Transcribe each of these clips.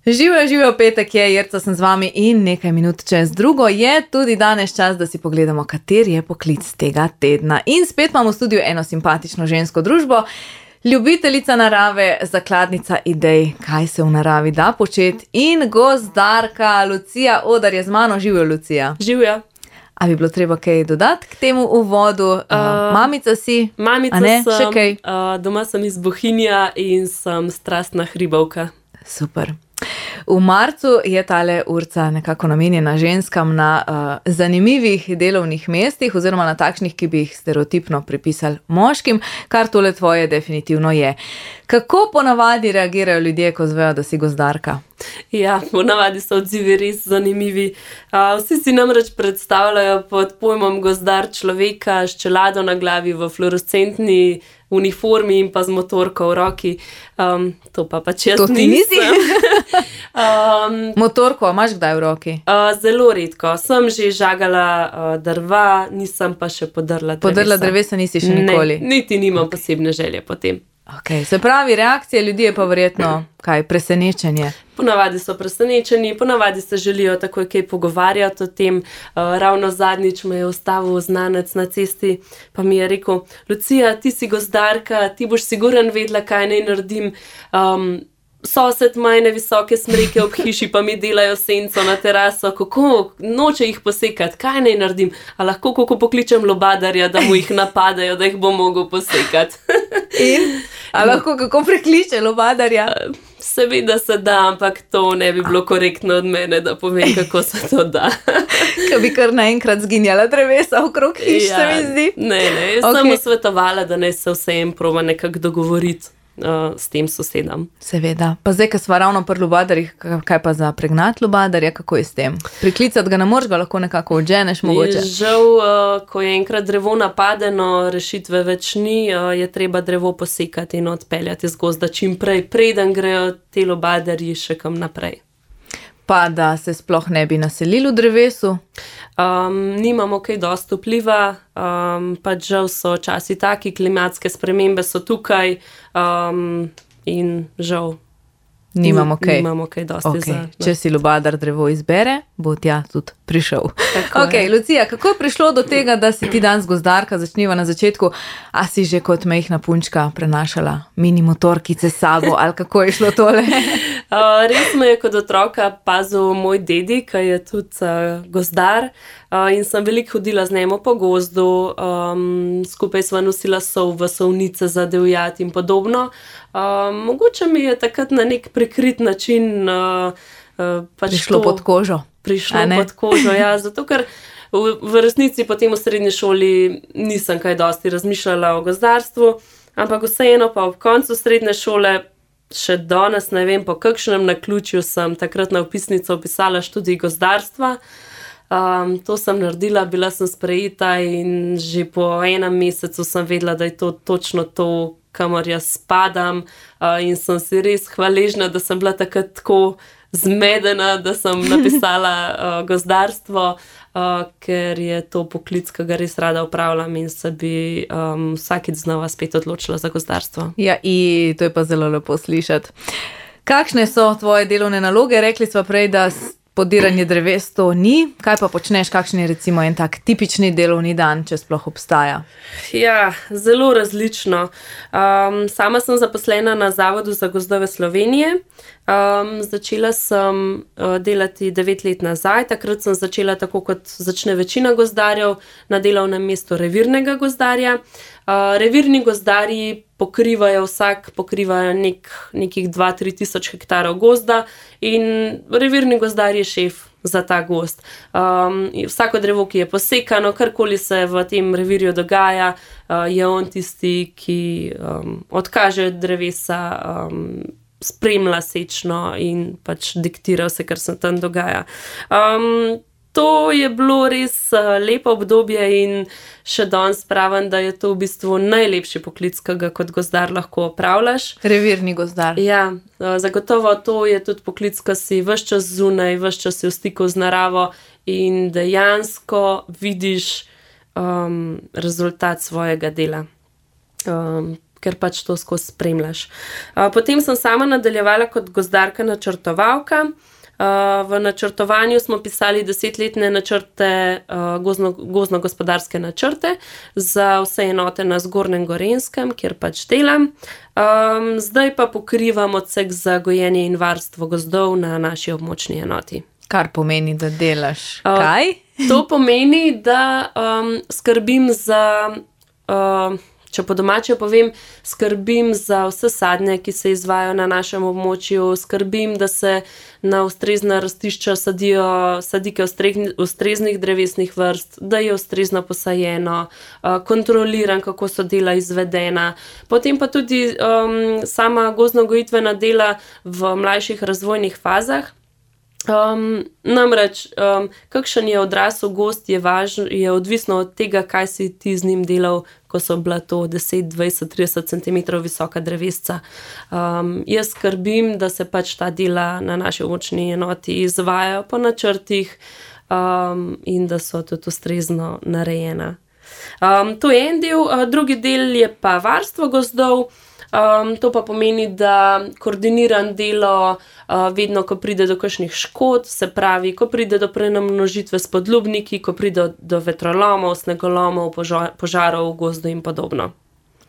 Živijo, petek je, Jerca sem z vami in nekaj minut čez drugo je tudi danes čas, da si pogledamo, kateri je poklic tega tedna. In spet imamo v studiu eno simpatično žensko družbo, ljubiteljica narave, zakladnica idej, kaj se v naravi da početi in gozdarka Lucija Oder je z mano. Živijo, Lucija. Živijo. A bi bilo treba kaj dodati k temu uvodu? Mamica si? Mamica sem, še kaj? Doma sem iz Bohinja in sem strastna hribovka. Super. V marcu je tale urca nekako namenjena ženskam na zanimivih delovnih mestih oziroma na takšnih, ki bi jih stereotipno pripisali moškim, kar tole tvoje definitivno je. Kako ponavadi reagirajo ljudje, ko zvejo, da si gozdarka? Ja, ponavadi so odzivi res zanimivi. Vsi si namreč predstavljajo pod pojmom gozdar človeka s čelado na glavi v fluorescentni uniformi in pa z motorko v roki. To pa pač jaz nisem. Motorko imaš kdaj v roki? Zelo redko. Sem že žagala drva, nisem pa še podrla drevesa. Podrla drevesa nisi še nikoli? Ne, niti nimam posebne želje potem. Okay. Se pravi, reakcije ljudi je pa verjetno kaj, presenečenje? Ponavadi so presenečeni, ponavadi se želijo takoj kaj pogovarjati o tem. Ravno zadnjič me je ustavil znanec na cesti, pa mi je rekel: Lucija, ti si gozdarka, ti boš sigurno vedela, kaj naj naredim. Sosed ima ene visoke smreke ob hiši, pa mi delajo senco na teraso, kako noče jih posekati, kaj naj naredim? A lahko kako pokličem lobadarja, da mu jih napadajo, da jih bo mogel posekati? In? A lahko kako prekliče lobadarja? Seveda se da, ampak to ne bi bilo korektno od mene, da povem, kako se to da. Ko bi kar naenkrat zginjala drevesa okrog hiš, se mi zdi. Ne, sem mu svetovala, da ne se vsem proba nekako dogovoriti s tem sosedom. Seveda. Pa zdaj, ko sva ravno pri lobadarjih, kaj pa za pregnat lobadarja, kako je s tem? Priklicati ga ne moreš, ga lahko nekako odženeš mogoče? Žal, ko je enkrat drevo napadeno, rešitve več ni, je treba drevo posekati in odpeljati iz gozda čim prej, preden grejo te lobadarji še kam naprej. Pa da se sploh ne bi naselili v drevesu? Nimamo kaj dosti vpliva, pač žal so časi taki, klimatske spremembe so tukaj in žal nimamo kaj dosti za. Če si lobadar drevo izbere, bo tja tudi prišel. Lucija, kako je prišlo do tega, da si ti danes gozdarka? Začniva na začetku. A si že kot majhna punčka prenašala mini motorkice s sabo ali kako je šlo tole? Res me je kot otroka pazil moj dedi, ki je tudi gozdar, in sem veliko hodila z njim po gozdu, skupaj sva nosila sol v solnice za divjad in podobno. Mogoče mi je takrat na nek prikrit način prišlo pod kožo. Pod kožo, ja, zato ker v resnici potem v srednji šoli nisem kaj dosti razmišljala o gozdarstvu, ampak vseeno pa ob koncu srednje šole še danes ne vem, po kakšnem naključju sem takrat na vpisnico vpisala študij gozdarstva. To sem naredila, bila sem sprejeta in že po enem mesecu sem vedela, da je to točno to, kamor jaz spadam, in sem si res hvaležna, da sem bila takrat tako zmedena, da sem napisala gozdarstvo, ker je to poklic, ki ga res rada opravljam in se bi vsakič znova spet odločila za gozdarstvo. Ja, in to je pa zelo lepo slišati. Kakšne so tvoje delovne naloge? Rekli sva prej, da podiranje dreves to ni. Kaj pa počneš? Kakšen je recimo en tak tipični delovni dan, če sploh obstaja? Ja, zelo različno. Sama sem zaposlena na Zavodu za gozdove Slovenije. Začela sem delati 9 let nazaj. Takrat sem začela tako, kot začne večina gozdarjev, na delovnem mestu revirnega gozdarja. Revirni gozdarji vsak pokrivajo nekih 2-3 tisoč hektarov gozda in revirni gozdar je šef za ta gozd. Vsako drevo, ki je posekano, karkoli se v tem revirju dogaja, je on tisti, ki odkaže drevesa, spremlja sečno in pač diktira vse, kar se tam dogaja. To je bilo res lepo obdobje in še danes pravim, da je to v bistvu najlepši poklic, ki ga kot gozdar lahko opravljaš. Revirni gozdar. Ja, zagotovo to je tudi poklic, ki si ves čas zunaj, ves čas si v stiku z naravo in dejansko vidiš rezultat svojega dela. ker pač to skozi spremljaš. Potem sem sama nadaljevala kot gozdarka načrtovalka. V načrtovanju smo pisali 10-letne načrte, gozdno-gospodarske načrte za vse enote na Zgornjem Gorenjskem, kjer pač delam. Zdaj pa pokrivam odsek za gojenje in varstvo gozdov na naši območni enoti. Kar pomeni, da delaš kaj? To pomeni, da skrbim za... Če po domače povem, skrbim za vse sadnje, ki se izvajajo na našem območju, skrbim, da se na ustrezna rastišča sadijo sadike ustreznih drevesnih vrst, da je ustrezno posajeno, kontroliram, kako so dela izvedena. Potem pa tudi sama gozdno-gojitvena dela v mlajših razvojnih fazah. Namreč, kakšen je odrasel gozd, je odvisno od tega, kaj si ti z njim delal, ko so bila to 10, 20, 30 cm visoka drevesca. Jaz skrbim, da se pač ta dela na naši območni enoti izvajajo po načrtih in da so tudi ustrezno narejena. To je en del, drugi del je pa varstvo gozdov. To pa pomeni, da koordiniram delo vedno, ko pride do kakšnih škod, se pravi, ko pride do prenamnožitve s podlubniki, ko pride do vetrolomov, snegolomov, požarov v gozdu in podobno.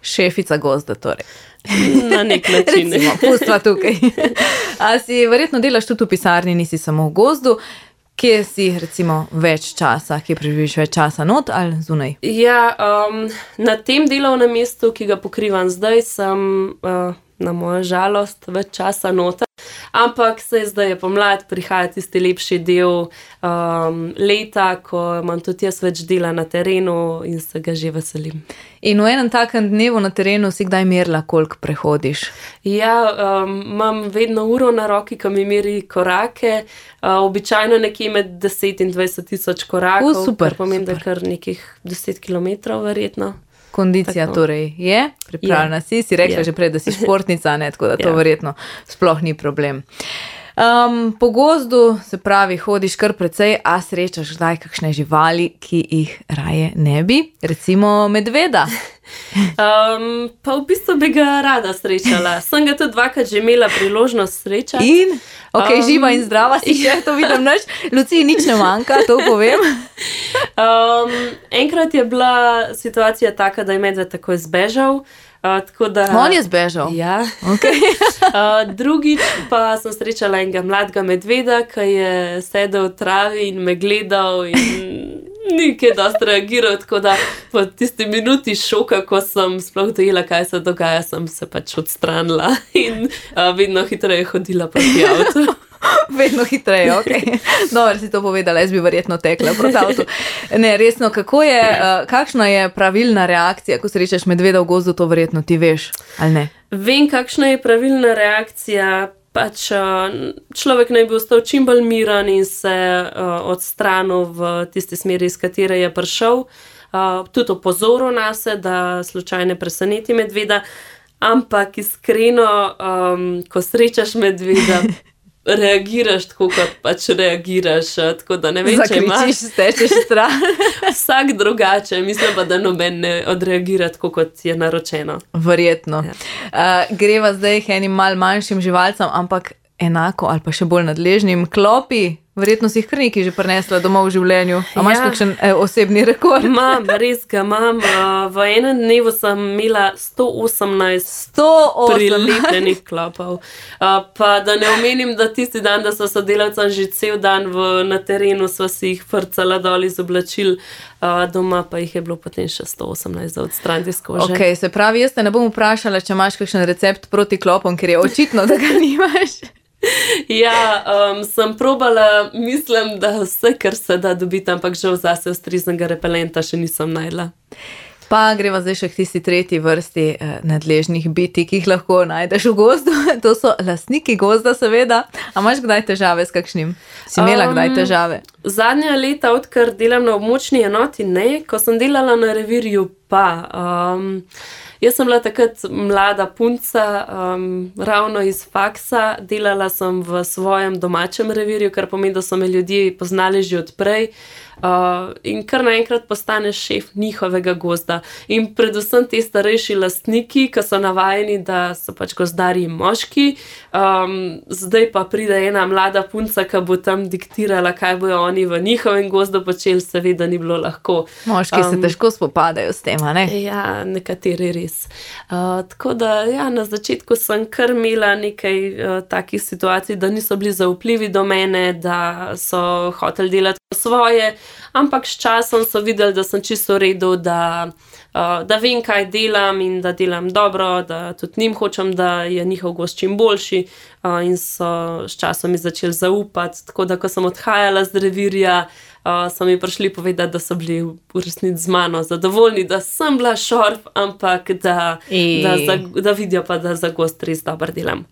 Šefica gozda torej. Na nek način. Recimo, pustva tukaj. A si verjetno delaš tudi v pisarni, nisi samo v gozdu. Kje si recimo več časa, kje preživiš več časa, not ali zunaj? Ja, na tem delovnem mestu, ki ga pokrivam zdaj, sem na mojo žalost več časa nota. Ampak zdaj je pomlad, prihaja tisti lepši del leta, ko imam tudi jaz več dela na terenu in se ga že veselim. In v enem takem dnevu na terenu si kdaj merila, koliko prehodiš? Ja, imam vedno uro na roki, ko mi meri korake, običajno nekje med 10 in 20 tisoč korakov. Super, kar pomeni, super. da kar nekih 10 kilometrov verjetno. Kondicija Tako. torej je, pripravljena si rekla Je. že prej, da si športnica, ne, tako da to Ja. verjetno sploh ni problem. Po gozdu, se pravi, hodiš kar precej, a srečaš kdaj kakšne živali, ki jih raje ne bi, recimo medveda. Pa v bistvu bi ga rada srečala. Sem ga tudi dvakrat že imela priložnost srečati. In, živa in zdrava si še, to vidim nič, Luciji nič ne manjka, to povem. Enkrat je bila situacija taka, da je medved takoj zbežal. Tako da, On je zbežal. Ja. Okay. Drugič pa sem srečala enega mladega medveda, ki je sedel v travi in me gledal in ni kaj dosti reagiral, tako da po tisti minuti šoka, ko sem sploh dojela, kaj se dogaja, sem se pač odstranila in vedno hitreje hodila proti avtu. Vedno hitreje, ok. Dobro si to povedala, jaz bi verjetno tekla proti avtu. Ne, resno, kakšna je pravilna reakcija, ko srečaš medveda v gozdu, to verjetno ti veš, ali ne? Vem, kakšna je pravilna reakcija. Pač človek naj bi ostal čim bolj miren in se odstranil v tisti smeri, iz katere je prišel. Tudi opozoril nase, da slučajno ne preseneti medveda. Ampak iskreno, ko srečaš medveda, reagiraš tako, kot pač reagiraš. Tako da ne vem, če imaš. Zakričiš, stečeš stran. Vsak drugače, mislim pa, da noben ne odreagira tako, kot je naročeno. Verjetno. Greva zdaj k enim mal manjšim živalcem, ampak enako ali pa še bolj nadležnim. Klopi, verjetno si jih kar nekaj že prinesla domov v življenju. A imaš kakšen osebni rekord? Imam, res ga imam. V enem dnevu sem imela 118 prilepljenih klopov. Pa da ne omenim, da tisti dan, da so sodelavcem že cel dan na terenu, so si jih frcala dol iz oblačil, doma pa jih je bilo potem še 118 za odstraniti iz kože. Ok, se pravi, jaz te ne bom vprašala, če imaš kakšen recept proti klopom, ker je očitno, da ga nimaš. Ja, sem probala, mislim, da vse, kar se da dobiti, ampak žal zase ustreznega repelenta še nisem našla. Pa greva zdaj še k tisti tretji vrsti nadležnih biti, ki jih lahko najdeš v gozdu. To so lastniki gozda, seveda. A imaš kdaj težave s kakšnim? Si imela kdaj težave? Zadnja leta, odkar delam na območni enoti, ne. Ko sem delala na revirju, pa. Jaz sem bila takrat mlada punca, ravno iz faksa, delala sem v svojem domačem revirju, kar pomeni, da so me ljudje poznali že odprej. In kar naenkrat postaneš šef njihovega gozda. In predvsem ti starejši lastniki, ki so navajeni, da so pač gozdarji moški, zdaj pa pride ena mlada punca, ki bo tam diktirala, kaj bojo oni v njihovem gozdu počeli, seveda ni bilo lahko. Moški se težko spopadajo s tem, a ne? Ja, nekateri res. Tako da, ja, na začetku sem kar imela nekaj takih situacij, da niso bili zaupljivi do mene, da so hoteli delati svoje, ampak s časom so videli, da sem čisto v redu, da vem, kaj delam in da delam dobro, da tudi njim hočem, da je njihov gozd čim boljši, in so s časom mi začeli zaupati, tako da, ko sem odhajala z revirja, so mi prišli povedati, da so bili v resnici z mano zadovoljni, da sem bila šorf, ampak da vidijo pa, da za gozd res dobro delam.